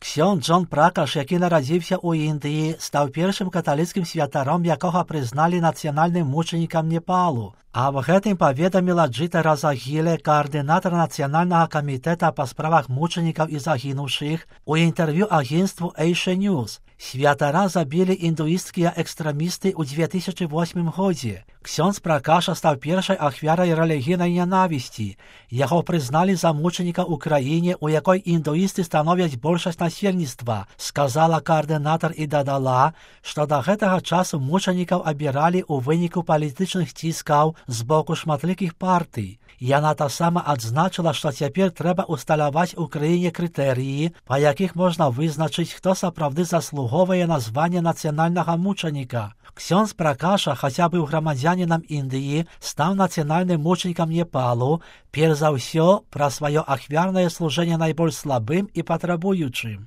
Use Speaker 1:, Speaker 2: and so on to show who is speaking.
Speaker 1: Ксьон Джон Пракаш, який народився у Індії, став першим католицьким святаром, якого признали національним мучеником Непалу. Аб гэтым паведаміла Джитара Загіле, координатор Национального комитета по справах мучеников и загинувших, у интервью агентству Asia News. Святара забили індуїстські екстремісти у 2008 году. Ксьондз Пракаша став першою ахвярою релігійної ненависті. Його признали за мученика в Україні, у якій індуїсти становлять більшість насельництва, сказала координатор і додала, що до гэтага часу мучеників обирали у виніку політичних тисків з боку шматликих партій. Яна та сама адзначила, що тепер треба усталювати в Україні критерії, по яких можна визначити, хто справді заслуговує на звання національного мученика. Ксьондз Пракаша, хоча був громадянином Індії, став національним мучеником Непалу, перш за все, про своє ахвярне служення найбільш слабим і потребуючим.